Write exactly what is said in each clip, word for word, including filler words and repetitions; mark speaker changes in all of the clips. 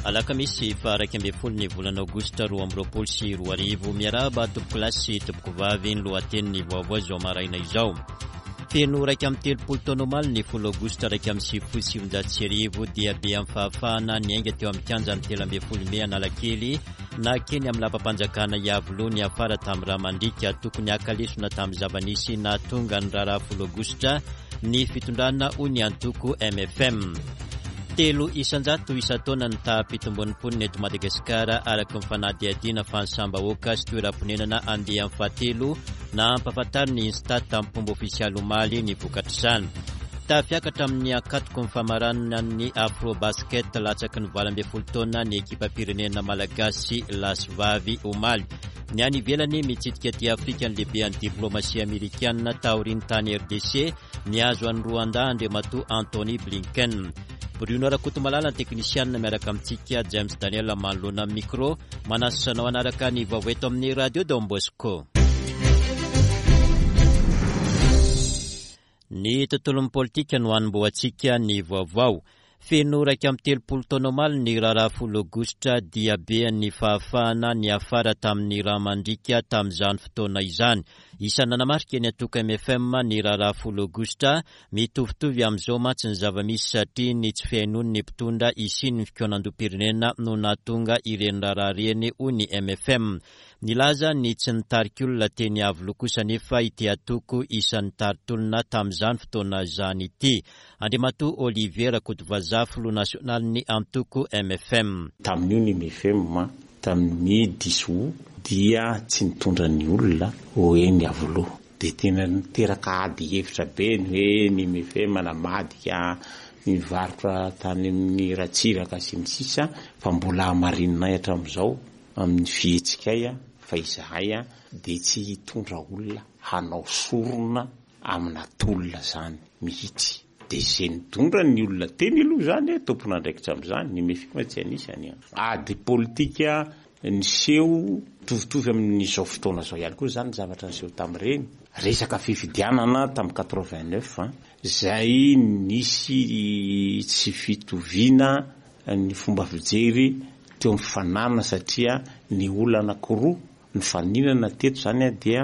Speaker 1: Alakamisy faha iraika ambin'ny folo ny volana aogositra roa amby roapolo sy roa arivo. Miarahaba tompoko lahy sy tompoko vavy, ny lohatenin'ny vaovao izao maraina izao. Feno iraika amby telopolo taona omaly ny folo aogositra iraika amby sivifolo sy sivinjato sy arivo dia be amin'ny fahafahana niainga teo amin'ny kianjan'ny telo ambin'ny folo mey Analakely nakeny amin'ny lapam-panjakana Iavoloha niafara tamin'ny rà mandriaka. Tokony haka lesona tamin'ny zava-nisy nahatonga ny raharaha folo aogositra ny fitondrana, hoy ny antoko M F M. Telo isan-jato isan-taona ny taham-pitomboan'ny mponina eto Madagasikara araka ny fanadihadiana fanisam-bahoaka sy toeram-ponenana andiany fahatelo na ampahafantarin'ny Instat tamin'ny fomba ofisialy omaly ny vokatr'izany. Tafiakatra amin'ny ankatoky ny famaranana ny Afrobasket latsaky ny valo ambin'ny folo taona ny ekipam-pirenena malagasy lahy sy vavy omaly. Ny any ivelany mitsidika aty Afrika ny lehiben'ny diplomasia amerikana taorian'ny tany R D C nihazo an'i Rwanda Andriamatoa Antony Blinken. Bruno Rakotomalala ny teknisianina miaraka amintsika, James Daniel manoloana amin'ny micro, manasa anao hanaraka ny vaovao eto amin'ny Radio Don Bosco. Ny tontolon'ny politika no hanombohantsika ny vaovao. Feno iraika amby telopolo taona omaly ny raharaha folo aogositra dia be ny fahafahana niafara tamin'ny rà mandriaka tamin'izany fotoana izany. Isan'ny nanamarika ny antoko M F M ny raharaha folo aogositra, mitovitovy amin'izao mantsy ny zava-misy satria ny tsy fihainoan'ny mpitondra hisian'ny fikaonandoham-pirenena no nahatonga ireny raharaha ireny, hoy ny M F M. Nilaza ny tsy nitarika olona teny Iavoloha kosa nefa ity antoko isan'ny nitari-tolona tamin'izany fotoana izany ity. Andriamatoa Olivier Rakotovazaha, filoha nasionalin'ny antoko M F M.
Speaker 2: Tamin'io ny M F M tamin'ny dix août dia tsy nitondra ny olona ho eny Iavoloha. Dia tena niteraka ady hevitra be ny hoe ny M F M namadika nivarotra tany amin'ny Ratsiraka sy ny sisa, fa mbola hamarinina hatramin'izao amin'ny fihetsikay fa izahay dia tsy hitondra olona hanao sorona amina tolona zany mihitsy. Dia izay nitondra ny olona teny aloha zany, tompon'andraikitra amin'izany, ny M F M tsy anisany. Ady politika niseho mitovitovy amin'izao fotoana izao ihany koa zany ny zavatra niseho tamin'ireny. Resaka fifidianana tamin'ny quatre-vingt-neuf, izay nisy tsy fitoviana ny fomba fijery teo amin'ny fananana, satria ny olona anankiroa nifaninana teto zany dia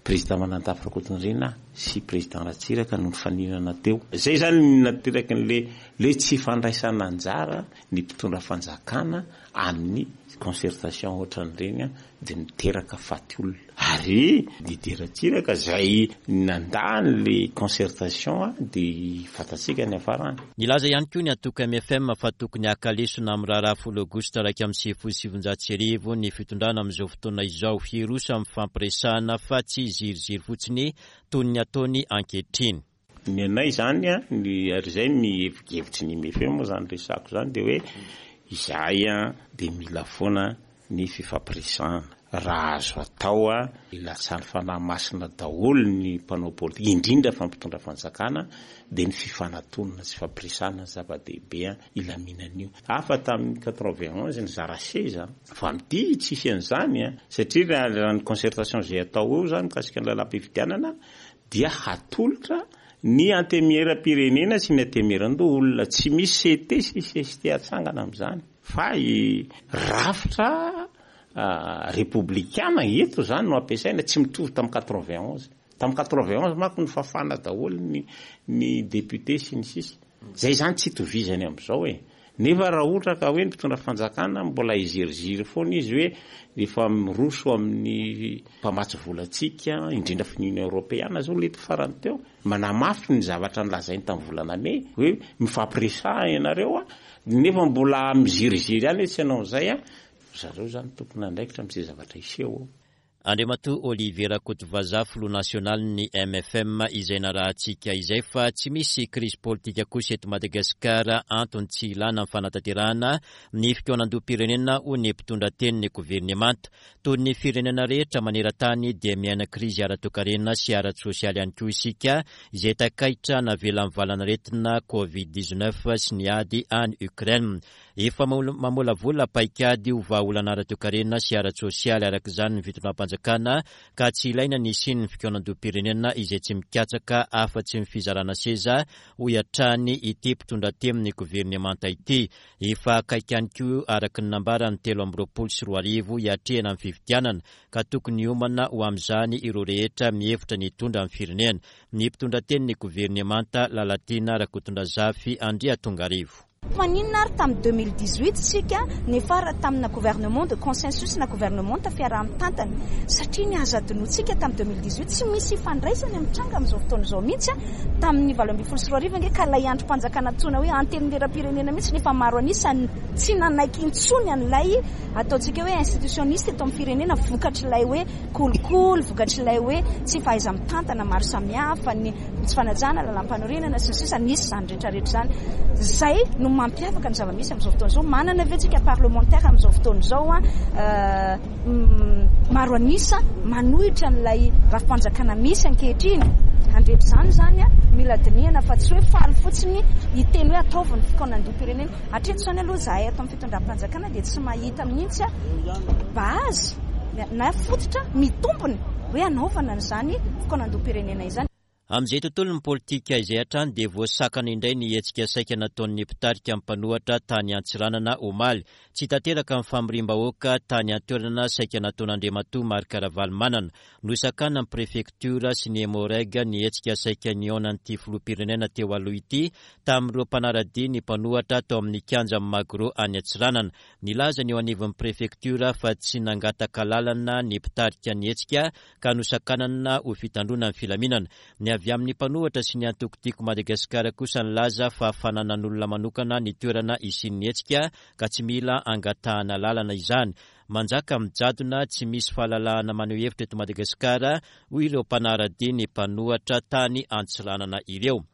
Speaker 2: président Manandafy Rakotonirina sy président Ratsiraka no nifaninana teo. Zay zany no nateraky ny le tsy fandraisana anjara ny mpitondra fanjakana amin'ny concertation ohatran'ireny dia miteraka faty olona. Ary Didier Ratsiraka zay nandà le concertation dia fantatsika ny hafarany.
Speaker 1: Nilaza ihany koa ny antoko M F M fa tokony haka lesona amin'ny raharaha folo aogositra iraika amby sivifolo sy sivinjato sy arivo ny fitondrana amin'izao fotoana izao, hiroso amin'ny fampiresahana fa tsy ziriziry fotsiny toy ny ataony ankehitriny.
Speaker 2: Ny anay zany, ny ary izay ny hevitry ny M F M moa zany resako zany dia hoe izahay dia mila foana ny fifampiresahana. Raha azo atao ilatsahan'ny fanahy masina daholo ny mpanao politika, indrindra fa mpitondra fanjakana, dia ny fifanatonana sy fifampiresahana ny zava-dehibe ilaminan'io. Hafa tamin'ny quatre-vingt-onze ny zara seza, fa amin'ity tsisy an'izany, satria raha, raha ny concertation izay atao eo zany mikasika ny lalam-pifidianana dia hatolotra ny antemieram-pirenena sy ny antemieran-doholona. Tsy misy C T sy C S T atsangana amin'izany, fa i rafitra repoblikana eto zany no ampiasaina, tsy mitovy tamin'ny quatre-vingt-onze. Tamin'ny quatre-vingt-onze manko nifafana daholo ny, ny député sy ny sisa. Zay zany tsy itovizany amin'izao e. Nefa raha ohatra ka hoe ny mpitondra fanjakana mbola hiziriziry foana izy hoe efa miroso amin'ny mpamatsy volantsika, indrindra fa ny Union Européenne zao lety farany teo, manamafy ny zavatra nolazainy tamin'ny volana mey hoe mifampiresaha ianareo, nefa mbola miziriziry ihany hoe tsy hanao an'izay. Zareo zany tompon'andraikitra amin'izay zavatra hiseho eo.
Speaker 1: Andriamatoa Olivier Rakotovazaha, filoha nasionalin'ny M F M, izay narahantsika izay fa tsy misy krizy politika kosa eto Madagasikara, antony tsy ilana ny fanatanterahana ny fikaonandoham-pirenena, hoy ny mpitondra tenin'ny governemanta. Toy ny firenena rehetra maneran-tany dia miaina krizy ara-toekarena sy ara-tsosialy ihany koa isika, izay takaitra navelan'ny valanaretina Covid dix-neuf sy ny ady any Ukraine. Efa mamolavola paikady ho vahaolana ara-toekarena sy ara-tsosialy araka izany ny fitondram-panjakana fitondram-panjakana ka tsy ilaina ny hisian'ny fikaonandoham-pirenena izay tsy mikatsaka afa-tsy ny fizarana seza, hoy hatrany ity mpitondra tenin'ny governemanta ity. Efa akaiky ihany koa araka ny nambarany telo amby roapolo sy roa arivo hiatrehana ny fifidianana ka tokony hiomana ho amin'izany ireo rehetra mihevitra ny hitondra ny firenena. Ny mpitondra tenin'ny governemanta Lalatiana Rakotondrazafy Andriatongarivo.
Speaker 3: Maninona ary tamin'ny deux mille dix-huit tsika niafara tamina gouvernement de consensus na gouvernement fiaraha-mitantana, satria ny azo adinoantsika tamin'ny deux mille dix-huit tsy misy ifandraisany amin'ny tranga amin'izao fotoana izao mihitsy. Tamin'ny valo ambin'ny folo sy roa arivo ange ka ilay andrim-panjakana antsoina hoe antenimieram-pirenena mihitsy nefa maro an'isany tsy nanaiky intsony an'ilay ataontsika hoe institutionniste eto amin'ny firenena, vokatr'ilay hoe kolikoly, vokatr'ilay hoe tsy fahaiza-mitantana maro samihafa, ny tsy fanajana lalàm-panorenana sy ny sisa. Nisy izany rehetrarehetra izany. Izay no mampiavaka ny zava-misy amin'izao fotoana izao. Manana ve tsika parlementaire amin'izao fotoana izao a, maro an'isa manohitra an'ilay rafi-panjakana misy ankehitriny? Handretra izany izany a, mila dinihana fa tsy hoe faly fotsiny hiteny hoe ataovy ny fikaonandoham-pirenena. Hatreto izany aloha izahay ato amin'ny fitondram-panjakana dia tsy mahita mihitsy a base na fototra mitombony hoe hanaovana an'izany fikaonandoham-pirenena izany.
Speaker 1: Amin'izay tontolon'ny politika izay hatrany dia voasakana indray ny hetsika saika nataon'ny mpitarika mpanohitra tany Antsiranana omaly. Tsy tanteraka ny famoriam-bahoaka tany an-toerana saika nataon'Andriamatoa Marc Ravalomanana. Nosakana ny prefektiora sy ny Emmo-Reg ny hetsika saika nihaonan'ity filoham-pirenena teo aloha ity tamin'ireo mpanara-dia ny mpanohitra tao amin'ny kianjan'ny Magro any Antsiranana. Nilaza ny eo anivon'ny prefektiora fa tsy nangataka lalana ny mpitarika ny hetsika ka nosakanana ho fitandroana ny filaminana. Ny avy amin'ny mpanohitra sy ny antoko Tiako Madagasikara kosa nilaza fa fananan'olona manokana ny toerana hisian'ny hetsika ka tsy mila angatahana lalana izany. Manjaka mijadona tsy misy fahalalahana maneho hevitra eto Madagasikara, hoy ireo mpanara-dia ny mpanohitra tany Antsiranana ireo.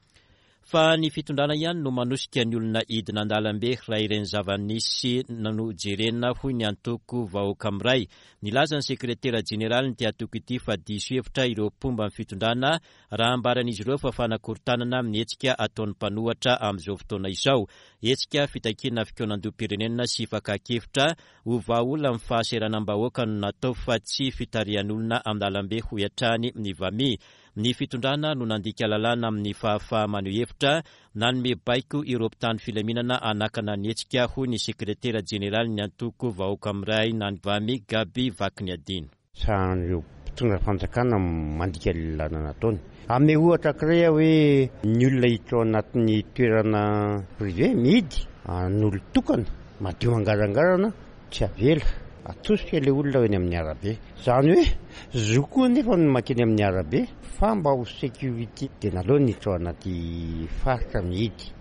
Speaker 1: Fa ny fitondrana ihany no manosika ny olona hidina an-dalambe raha ireny zava-nisy nojerena, hoy ny antoko Vahoaka Miray. Nilaza ny sekretera jeneralin'ity antoko ity fa diso hevitra ireo mpomba ny fitondrana raha ambaran'izy ireo fa fanakorontanana amin'ny hetsika ataon'ny mpanohitra amin'izao fotoana izao. Hetsika fitakiana fikaonandoham-pirenena sy fakan-kevitra ho vahaolana amin'ny fahasahiranam-bahoaka no natao fa tsy fitarihan'olona amin'ny lalambe, hoy hatrany ny VAMI. Ny fitondrana no nandika lalàna amin'ny fahafaha-maneho hevitra, nanome baiko ireo mpitandro filaminana hanakana ny hetsika, hoy ny sekretera jeneralin'ny antoko Vahoaka Miray na ny VAMI, Gaby Vakiniadiana.
Speaker 4: Sahan'ireo mpitondra fanjakana mandika lalàna nataony. Ame ohatra anankiray aho hoe ny olona hiditra ao anatin'ny toerana privé mihidy an'olon-tokana madio angarangarana tsy avela, atosika ilay olona eny amin'ny arabe. Izany hoe zo koa nefa no mankeny amin'ny arabe fa mba ho sécurité dia naleo niditra ao anaty faritra mihidy.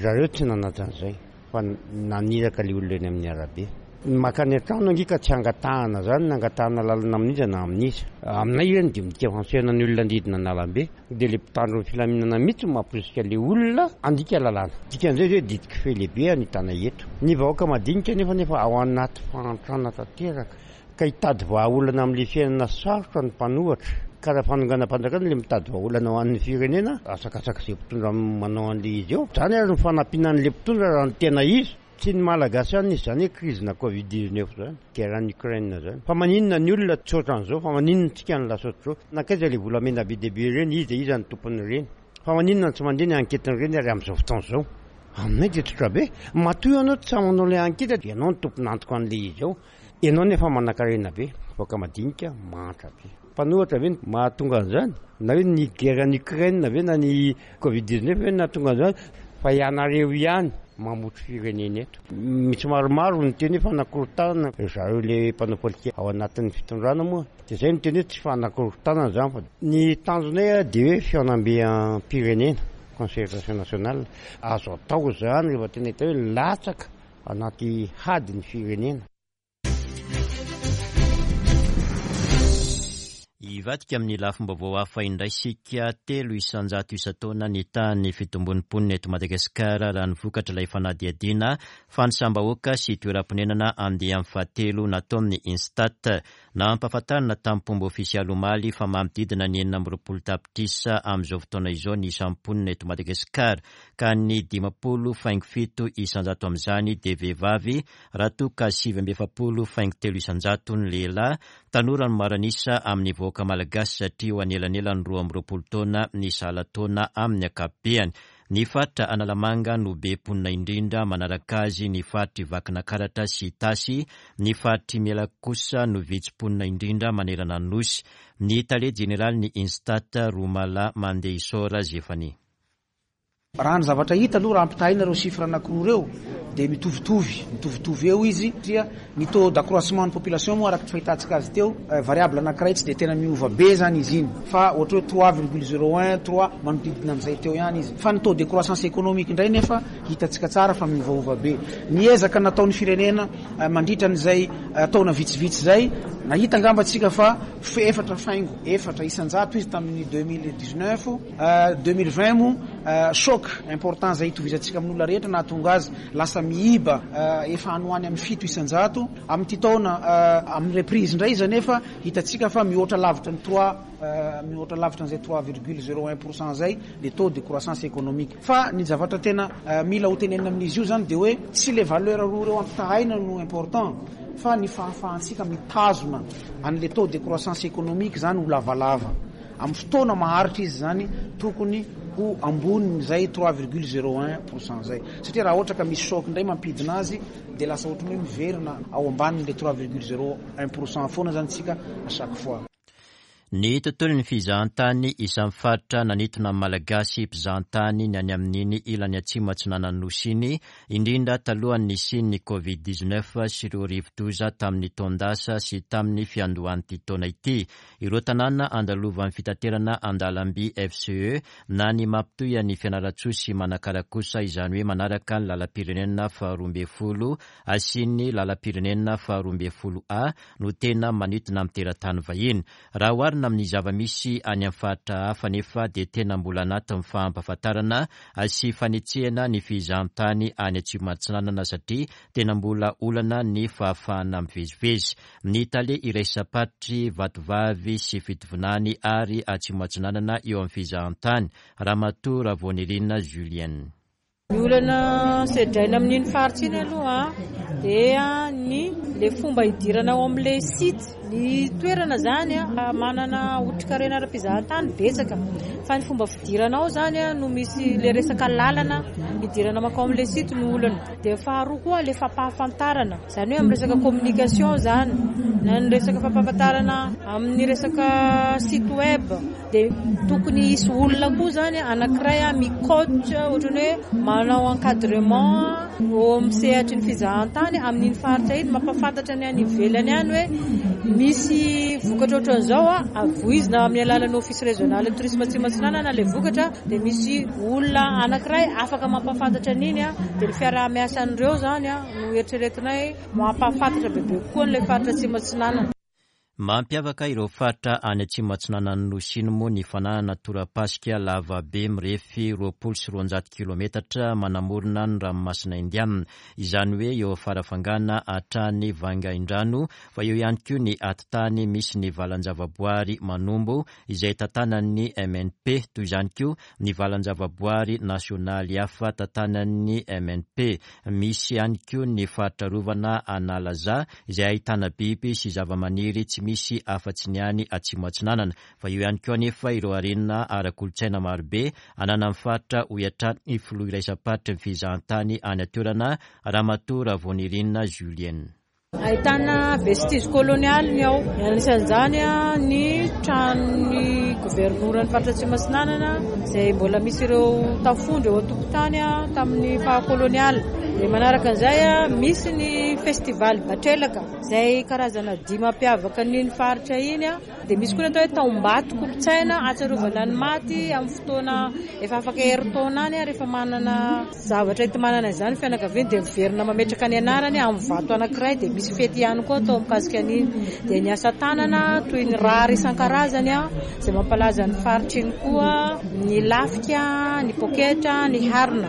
Speaker 4: Zareo tsy nanaja an'izay fa naniraka ilay olona eny amin'ny arabe. Makany an-trano ange ka tsy angatahana zany, na angatahana lalana amin'iza na amin'iza. Aminay ireny dia midika fantsena ny olona andidina an-dalambe, dia ilay mpitandro ny filaminana mihitsy no mamporisika ilay olona handika lalàna. Dikan'izay hoe didiko fe lehibe anitana eto. Ny vahoaka madinika nefa nefa ao anaty fahantrana tanteraka ka hitady vahaolana amin'ilay fiainana sarotra ny mpanohitra. Ka raha fanonganam-panjakana ilay mitady vahaolana ho an'ny firenena, asakasaka izay mpitondra manao an'ilay izy eo. Izany ary ny fanampiana an'ilay mpitondra raha ny tena izy. Tsy ny Malagasy ihany nisy izany hoe crise na Covid dix-neuf izany, guerre en Ukraine izany. Fa maninona ny olona tsy ohatran'izao, fa maninona tsika ny lasa ohatr'izao? Nankaiza ilay volamena be dia be ireny, iza iza ny tompon'ireny? Fa maninona tsy mandeha ny enquête-n'ireny ary amin'izao fotoana izao? Aminay dia tsotra be. Matoa ianao tsy manao ilay enquête dia ianao no tompon'antoka an'ilay izy ao. Ianao nefa manankarena be, vahoaka madinika mahantra be. Mpanohitra ve no mahatonga an'izany? Na hoe ny guerre en Ukraine ve na ny Covid dix-neuf ve no nahatonga an'izany? Fa ianareo ihany mamotry firenena eto. Misy maromaro ny teny hoe fanakorontanana, zareo ilay mpanao politika ao anatin'ny fitondrana moa. Dia izay no teny hoe tsy fanakorontanana izany fa ny tanjonay dia hoe fihaonambe-pirenena, concertation nationale. Azo atao izany rehefa tena hita hoe latsaka anaty hady ny firenena.
Speaker 1: Hivadika amin'ny lafim-baovao hafa indray isika. Telo isanjato isan-taona ny tahan'ny fitombon'ny mponina eto Madagasikara raha ny vokatra ilay fanadihadiana fanisam-bahoaka sy toeram-ponenana andiany fahatelo nataon'ny Instat. Nampahafantarina tamin'ny fomba ofisialy omaly fa manodidina ny enina amby roapolo tapitrisa amin'izao fotoana izao ny isan'ny mponina eto Madagasikara, ka ny dimampolo faingo fito isanjato amin'izany dia vehivavy, raha toa ka sivy amby efapolo faingo telo isanjato ny lehilahy. Tanora no maro an'isa amin'ny vahoaka malagasy satria eo anelanelan'ny roa amby roapolo taona ny salan-taona amin'ny ankapobeny. Ny faritra Analamanga no be mponina indrindra, manaraka azy ny faritry Vakinakaratra sy Itasy. Ny faritry Melaky kosa no vitsy mponina indrindra manerana ny Nosy. Ny tale jeneralin'ny Instat, Romala Mandehisora Zefania.
Speaker 5: Raha ny zavatra hita aloha, raha ampitahaina ireo chiffre anankiroa ireo dia mitovitovy, mitovitovy eo izy satria ny taux d'accroissement ny population moa araka ny fahitantsika azy teo variable anankiray tsy dia tena miova be zany izy iny fa ohatra hoe trois virgule zéro un, trois manodidina amin'izay teo ihany izy. Fa ny taux de croissance économique indray nefa hitantsika tsara fa miovaova be. Ny ezaka nataon'ny firenena mandritra an'izay taona vitsivitsy izay, nahita angamba tsika fa efatra faingo efatra isanjato izy tamin'ny deux mille dix-neuf, deux mille vingt moa choc important zay itovizantsika amin'olona rehetra nahatonga azy lasa miiba efa any ho any amin'ny fito isanjato. Amin'ity taona amin'ny reprise indray izy nefa hitantsika fa mihoatra lavitra ny trois, mihoatra lavitra an'izay trois virgule zéro un pour cent zay le taux de croissance économique. Fa ny zavatra tena mila ho tenenina amin'izy io zany dia hoe tsy le valeur roa ireo ampitahaina no important fa ny fahafahantsika mitazona an'le taux de croissance économique zany ho lavalava. Amin'ny fotoana maharitra izy zany tokony ho ambonin'izay trois virgule zéro un pour cent zay, satria raha ohatra ka misy choc indray mampidina azy dia lasa ohatran'ny hoe miverina ao ambanin'le trois virgule zéro un pour cent foana zany tsika à chaque fois.
Speaker 1: Ny tontolon'ny fizahantany isan'ny faritra nanintona ny Malagasy mpizahantany ny any amin'iny ilany atsimo atsinanan'ny Nosy iny, indrindra talohan'ny nisian'ny Covid dix-neuf sy ireo rivodoza tamin'ny taon-dasa sy tamin'ny fiandohan'ity taona ity. Ireo tanàna andalovan'ny fitaterana an-dalamby F C E na ny mampitohy ny Fianarantsoa sy Manakara kosa, izany hoe manaraka ny lalam-pirenena faharoa ambin'ny folo asian'ny lalam-pirenena faharoa ambin'ny folo A no tena manintona amin'ny teratany vahiny. Raha oharina amin'ny zava-misy any amin'ny faritra hafa nefa dia tena mbola anatin'ny fahampahafantarana sy fanetsehana ny fizahantany any atsimo atsinanana satria tena mbola olana ny fahafahana mivezivezy. Ny tale iraisam-paritry Vatovavy sy Fitovinany ary atsimo atsinanana eo amin'ny fizahantany, Ramatoa Ravoanirina Julienne.
Speaker 6: Ny olana sedraina amin'iny faritra iny aloha dia ny le fomba hidirana ao amin'ilay site. Ny toerana zany manana otrikarena ara-pizahantany betsaka, fa ny fomba fidirana ao zany no misy le resaka lalana hidirana mankao amin'ilay site no olana. Dia faharoa koa le fampahafantarana, zany hoe amin'ny resaka communication zany na ny resaka fampahafantarana amin'ny resaka site web, dia tokony hisy olona koa zany anankiray mi-coach ohatran'ny hoe manao encadrement eo amin'ny sehatry ny fizahantany amin'iny faritra iny, mampahafantatra ny any ivelany any hoe misy vokatra ohatran'izao a, avoizina amin'ny alalan'ny office régional de tourisme Atsimo Atsinanana ilay vokatra, dia misy olona anankiray afaka mampahafantatra an'iny a, dia ny fiaraha-miasan'ireo zany a no eritreretinay mampahafantatra bebe kokoa an'ilay faritra Atsimo Atsinanana.
Speaker 1: Mampiavaka ireo faritra any atsimo atsinanan'ny Nosy iny moa ny fananana torapasika lava be mirefy roapolo sy roanjato kilometatra manamorona ny ranomasina Indiana, izany hoe eo Farafangana hatrany Vangaindrano, fa eo ihany koa ny atitany misy ny valan-javaboary Manombo izay tantanan'ny M N P, toy izany koa ny valan-javaboary nasionaly hafa tantanan'ny M N P. Misy ihany koa ny faritra arovana Analaza izay ahitana biby sy zavamaniry tsy misy afa-tsy ny any atsimo atsinanana, fa eo ihany koa anefa ireo harena ara-kolontsaina marobe ananan'ny faritra, hoy hatrany ny filoha iraisam-paritry ny fizahantany any an-toerana, Ramatoa Ravoanirina Julienne.
Speaker 6: Ahitana vestige colonial ny ao, anisan'izany ny tranon'ny governoran'ny faritra Atsimo Atsinanana izay mbola misy ireo tafondro eo an-tokotany tamin'ny faha-kolonialy. Dia manaraka an'izay misy ny festival Batrelaka izay karazana dihy mampiavaka an'iny faritra iny. Dia misy koa ny atao hoe taombato kolotsaina ahatsiarovana ny maty amin'ny fotoana efa afaka herintaona any, rehefa manana zavatra enti-manana izany fianakaviana dia miverina mametraka ny anarany amin'ny vato anankiray, dia misy fety ihany koa atao mikasika an'iny. Dia ny asa tanana toy ny rary isan-karazany izay mampalaza ny faritra iny koa, ny lafika, ny poketra, ny harona.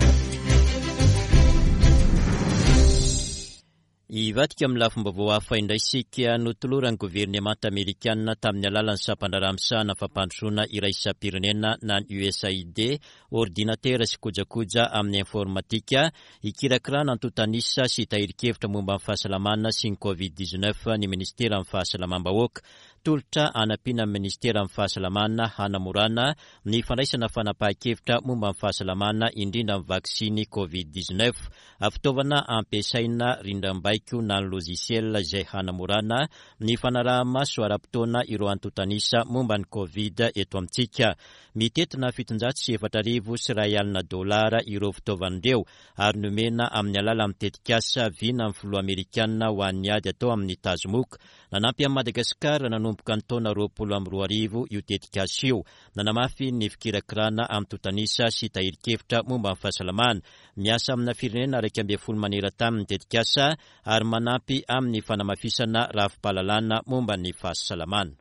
Speaker 1: Hivadika amin'ny lafim-baovao hafa indray isika. Notoloran'ny governemanta amerikanina tamin'ny alalan'ny sampan-draharaha misahana fampandrosoana iraisam-pirenena na ny U S A I D, ordinatera sy kojakoja amin'ny informatika, hikirakirana antontanisa sy tahirin-kevitra momba ny fahasalamana sy ny covid dix-neuf ny ministeran'ny fahasalamam-bahoaka. Tolotra hanampiana ny ministeran'ny fahasalamana hanamorana ny fandraisana fanapahan-kevitra momba ny fahasalamana indrindra ny vaksiny covid dix-neuf. Fitaovana ampiasaina rindrambaiko na ny logiciel izay hanamorana ny fanaraha-maso ara-potoana ireo antontanisa momba ny covid eto amintsika. Mitentina fitonjato sy efatra arivo sy iray alina dolara ireo fitaovana ireo ary nomena amin'ny alalan'ny tetikasa vina amin'ny filoha amerikanina ho an'ny ady atao amin'ny tazomoka. Nanampy an'i Madagasikara nanomboka ny taona roapolo amby roa arivo io tetikasa io. Nanamafy ny fikirakirana antontanisa sy tahirin-kevitra momba ny fahasalamana. Miasa amina firenena iraika ambin'ny folo maneran-tany ny tetikasa ary manampy amin'ny fanamafisana rafi-pahalalana momba ny fahasalamana.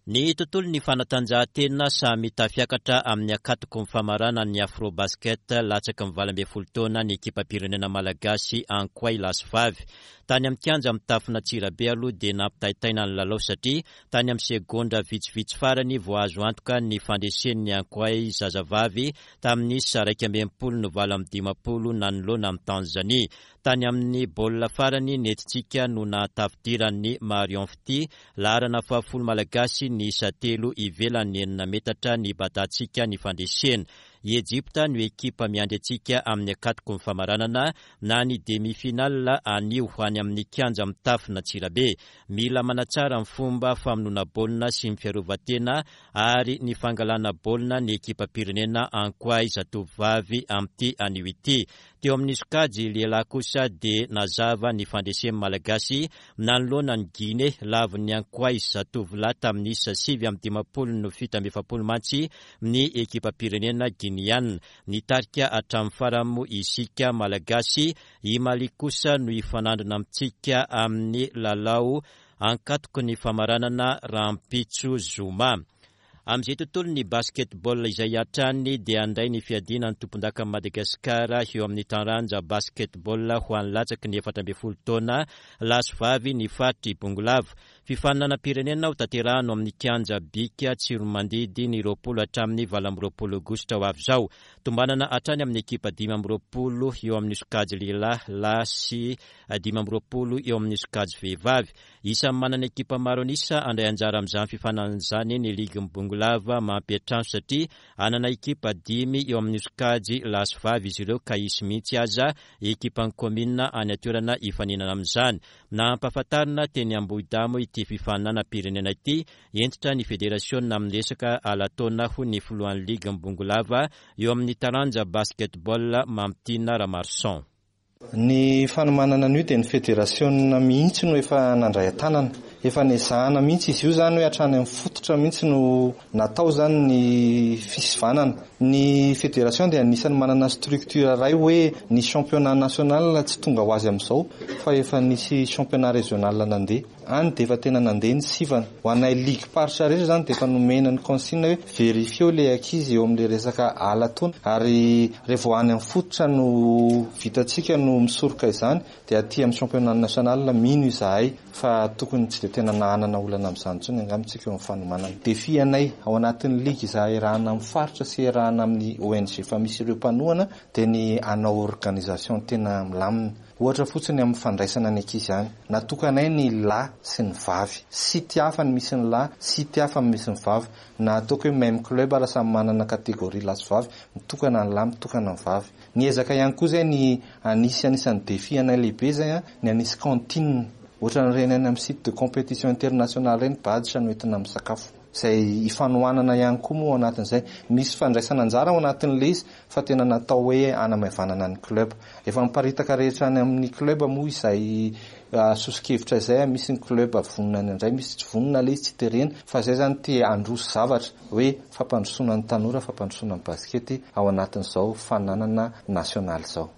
Speaker 1: Ny tontolon'ny fanatanjahantena samy tafiakatra amin'ny akatoko ny famarana ny Afrobasket latsaky ny valo ambin'ny folo taona ny ekipam-pirenena malagasy Ankoay lahy sy vavy. Tany amin'ny kianja mitafona Antsirabe aloha dia nampitaitaina ny lalao satria tany amin'ny segondra vitsivitsy farany vao azo antoka ny fandresen'ny Ankoay zazavavy tamin'ny isa iraika amby enimpolo no valo amby dimampolo nanoloana amin'ny Tanzania. Tany amin'ny baolina farany nentintsika no nahatafidiran'ny Marion Fitia, laharana fahafolo malagasy ny isa telo ivelan'ny enina metatra ny batantsika ny fandresena. I Egypta no ekipa miandry antsika amin'ny akatoko ny famaranana na ny demi-finale anio any amin'ny kianja mitafona Antsirabe. Mila manatsara ny fomba famonoana baolina sy ny fiarovan-tena ary ny fangalana baolina ny ekipam-pirenena Ankoay zatovovavy amin'ity anio ity. Teo amin'ny sokajy lehilahy kosa dia nazava ny fandresen'ny Malagasy nanoloana ny Guinée lavon'ny Ankoay zatovolahy tamin'ny isa sivy amby dimampolo no fito amby efapolo mantsy ny ekipam-pirenena Guinéana. Nitarika hatramin'ny farany moa isika Malagasy. I Mali kosa no hifanandrina amintsika amin'ny lalao ankatoky ny famaranana rahampitso zoma. Amin'izay tontolo ny basketball izay hatrany dia handray ny fiadiana ny tompondakan'i Madagasikara eo amin'ny taranja basketball ho an'ny latsaky ny efatra ambin'ny folo taona lahy sy vavy ny faritry Bongolava. Fifaninanam-pirenena ho tanterahana amin'ny kianja Bika Tsiromandidy ny roapolo hatramin'ny valo amby roapolo aogositra ho avy izao. Tombanana hatrany amin'ny ekipa dimy amby roapolo eo amin'ny sokajy lehilahy lahy sy dimy amby roapolo eo amin'ny sokajy vehivavy. Isan'ny manana ekipa maro an'isa handray anjara amin'izany fifaninanana izany ny ligin'ny Bongolava mampiantrano satria hanana ekipa dimy eo amin'ny sokajy lahy sy vavy izy ireo ka hisy mihitsy aza ekipan'ny kaominina any an-toerana hifaninana amin'izany. Nampahafantarina teny Ambohidamo ity fifaninanam-pirenena ity, hentitra ny federasiona amin'ny resaka ala-taona ho ny filohan'ny ligin'ny Bongolava eo amin'ny taranja basketball Mamitiana Ramarson.
Speaker 7: Ny fanomanana an'io dia ny federasiona mihitsy no efa nandray an-tanana. Efa nezahana mihitsy izy io izany hoe hatrany amin'ny fototra mihitsy no natao izany ny fisivanana. Ny fédération dia anisan'ny manana structure iray hoe ny championnat national tsy tonga ho azy amin'izao fa efa nisy championnat régional nandeha. Any dia efa tena nandeha ny sivana. Ho anay ligue paritra rehetra izany dia efa nomena ny consigne hoe vérifieo ilay ankizy eo amin'ilay resaka ala-taona ary rehefa any amin'ny fototra no vitantsika no misoroka izany dia aty amin'ny championnat national mino izahay fa tokony tsy dia tena nahanana olana amin'izany intsony angamba isika eo amin'ny fanomanana. Défi anay ao anatin'ny ligue izahay erahana amin'ny faritra sy erahana amin'ny O N G fa misy ireo mpanohana dia ny hanao organisation tena milamina. Ohatra fotsiny amin'ny fandraisana ny ankizy any. Natokanay ny lahy sy ny vavy. Site hafa ny misy ny lahy, site hafa ny misy ny vavy. Na ataoko hoe même club raha samy manana catégorie lahy sy vavy, mitokana ny lahy, mitokana ny vavy. Niezaka ihany koa izay ny anisy anisan'ny défi anay lehibe izay a, ny anisy cantine. Ohatran'ireny any amin'ny site de compétition internationale ireny badge no entina amin'ny sakafo. Izay ifanohanana ihany koa moa ao anatin'izay. Misy fandraisana anjara ao anatin'ilay izy fa tena natao hoe hanamaivanana ny club. Efa miparitaka rehetra any amin'ny club moa izay soso-kevitra izay, misy ny club vonona ny indray, misy tsy vonona ilay izy tsy terena, fa izay zany te handroso zavatra hoe fampandrosoana ny tanora, fampandrosoana ny baskety ao anatin'izao fananana nasionaly izao.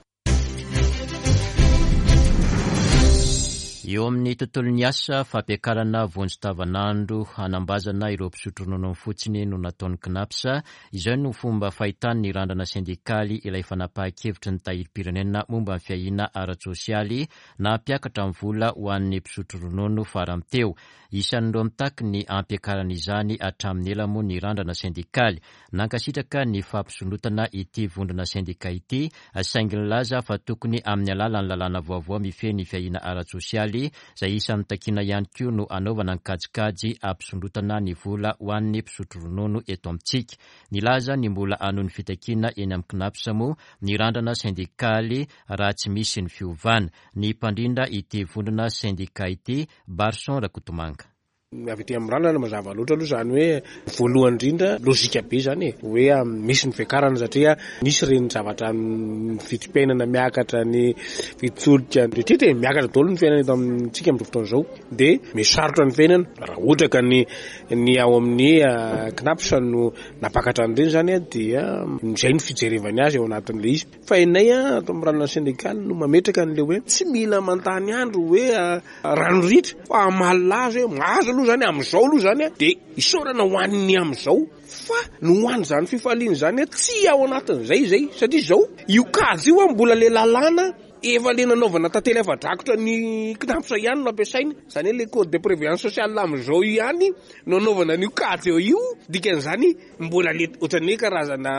Speaker 1: Eo amin'ny tontolon'ny asa, fampiakarana vonjy tavanandro hanambazana ireo mpisotro ronono fotsiny no nataon'ny C N A P S. Izao no fomba fahitany ny Randrana sendikaly ilay fanapahan-kevitry ny tahirim-pirenena momba ny fiahiana ara-tsosialy nampiakatra ny vola ho an'ny mpisotro ronono farany teo. Isan'ireo mitaky ny ampiakarana izany hatramin'ny ela moa ny Randrana sendikaly. Nankasitraka ny fampisondrotana ity vondrona sendika ity, saingy nilaza fa tokony amin'ny alalan'ny lalàna vaovao mifehy ny fiahiana ara-tsosialy izay isan'ny takiana ihany koa no anaovana ny kajikajy ampisondrotana ny vola ho an'ny mpisotro ronono eto amintsika. Nilaza ny mbola hanohy ny fitakiana eny amin'ny C N A P S moa ny Randrana sendikaly raha tsy misy ny fiovana. Ny mpandrindra ity vondrona sendika ity, Barson Rakotomanga.
Speaker 8: Avy aty amin'ny Randrana, mazava loatra aloha zany hoe voalohany indrindra lozika be zany e, hoe misy ny fiakarana satria nisy reny zavatra vidim-piainana miakatra, ny vidin-tsolika rehetra e, miakatra daholo ny fiainana eto amintsika amin'izao fotoana izao, dia misarotra ny fiainana. Raha ohatra ka ny ny ao amin'ny C N A P S no nampakatra an'ireny zany a, dia izay no fijerevany azy ao anatin'ilay izy. Fa inay a ato amin'ny Randrana sendikaly no mametraka an'le hoe tsy mila mantany andro hoe rano ritra fa amalilazy hoe mahazo aloha zany am'izao aloha zany a, dia isaorana ho an'ny am'izao, fa no hoany zany fifaliana zany a tsy ao anatin'izay zay, satria zao io kajy io a mbola le lalàna efa le nanaovana tantely afa-drakotra ny C N A P S ihany no ampiasaina zany hoe le code de prévoyance sociale am'izao ihany no anaovana an'io kajy eo io. Dikan'izany mbola le ohatran'ny hoe karazana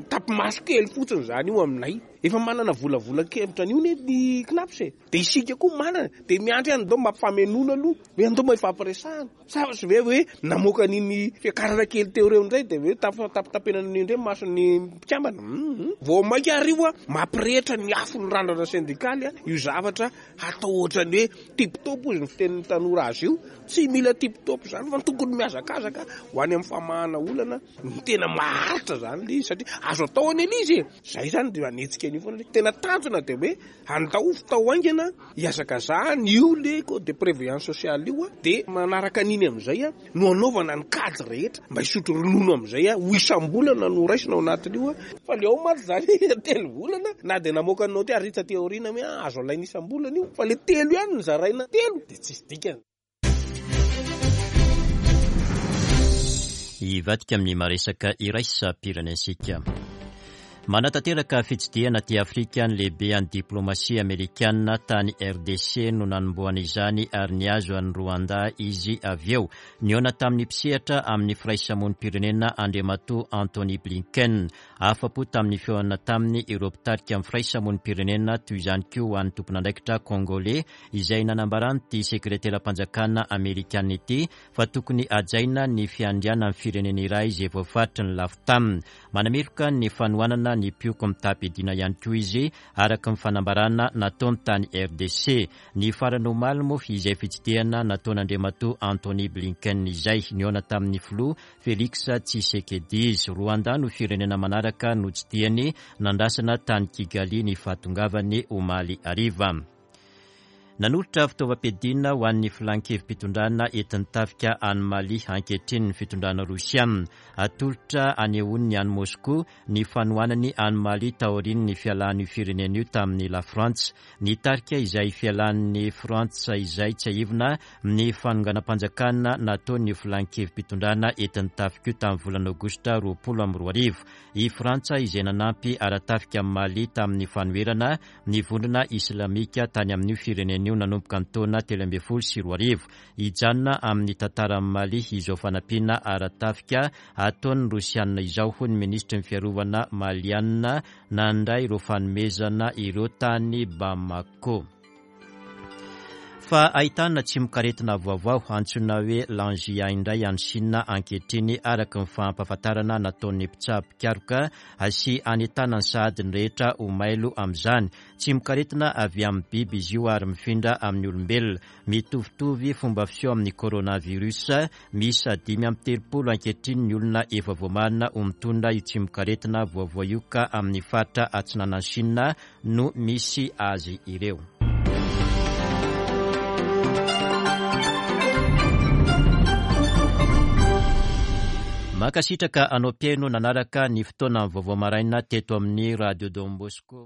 Speaker 8: tapimaso kely fotsiny zany io aminay. Efa manana volavola kevitra an'io ne ny C N A P S e, de isika koa manana, de miandry any dao mampifamenona aloha hoe andao mba ifampiresahana sa sy ve hoe namoaka an'iny fiakarana kely teo reo indray, de hoe tapitapenana an'io indray mason'ny mpikambana vao mainka ary io a mampirehitra ny afo ny Randrana sendikaly a. Io zavatra atao ohatrany hoe tip-top izy ny fitenin'ny tanora azy io, tsy mila tip-top zany fa tokony miazakazaka ho any amin'ny famahana olana ny tena maharitra zany le izy, satria azo atao any ele izy e. Zay zany de anetsika an'io foana. Tena tanjona de hoe andao fitao aingana hiazakazahany io le code de prévoyance sociale io a, de manaraka an'iny am'izay a no anaovana ny kajy rehetra mba hisotro ronono am'izay a ho isam-bolana no raisina ao anatin'io a. Fa le ao mantsy zany telo volana na de namoaka ny note ary taty aoriana hoe azo alaina isam-bolana io, fa le telo ihany ny zaraina telo de tsisy dikany.
Speaker 1: Hivadika amin'ny maresaka iraisam-pirenentsika. Manatanteraka fitsidihana aty Afrika ny lehibe any diplomasia amerikanina. Tany R D C no nanombohana izany ary niazo any Rwanda izy avy eo. Nihaona tamin'ny mpisehatra amin'ny firaisamonim-pirenena Andriamatoa Antony Blinken. Afa-po tamin'ny fihaonana taminy ireo mpitarika amin'ny firaisamonim-pirenena, toy izany koa ho an'ny tompon'andraikitra congolais izay nanambarany ty sekretera-mpanjakana amerikanina ity fa tokony hajaina ny fiandrianan'ny firenena iray izay voafaritry ny lafy taminy. Manameloka ny fanohanana ny mpioko mitam-piadiana ihany koa izy, araka ny fanambarana nataony tany R D C ny farany omaly moa izay fitsidihana nataon'Andriamatoa Antony Blinken izay nihaona tamin'ny filoha Félix Tshisekedi izy. Rwanda no firenena manaraka notsidihany. Nandrasana tany Kigali ny fahatongavany omaly hariva. Nanolotra fitaovam-piadiana ho an'ny filan-kevi-pitondrana entin'ny tafika any Mali ankehitriny ny fitondrana rosiana. Atolotra anehoany any Moscou ny fanohanany any Mali taorian'ny ny fialan'io firenena io tamin'ny La Frantsa. Nitarika izay fialan'ny Frantsa izay, tsiahivina, ny fanonganam-panjakana nataony filan-kevi-pitondrana entin'ny tafika io tamin'ny volana aogositra roapolo amby roa arivo. I Frantsa izay nanampy ara-tafika amin'ny Mali tamin'ny fanoherana ny vondrona islamika tany amin'io firenena io nanomboka ny taona telo ambin'ny folo sy roa arivo. Hijanona amin'ny tantaran'ny Mali izao fanampiana ara-tafika ataon'ny rosianina izao, hoy ny ministry ny fiarovana malianina nandray ireo fanomezana ireo tany Bamako. Fa ahitana tsimokaretina vaovao antsoina hoe Langya indray any Sina ankehitriny, araka ny fampahafantarana nataon'ny mpitsabo mpikaroka sy anentanany sahady ny rehetra ho mailo amin'izany. Tsimokaretina avy amin'ny biby izy io ary mifindra amin'ny olombelona, mitovitovy fomba fiseho amin'ny coronavirus. Misy dimy amby telopolo ankehitriny ny olona efa voamarina ho mitondra io tsimokaretina vaovao io, ka amin'ny faritra atsinanan'i Sina no misy azy ireo. Mankasitraka anao mpihaino nanaraka ny fotoana vaovao maraina teto amin'ny Radio Don Bosco.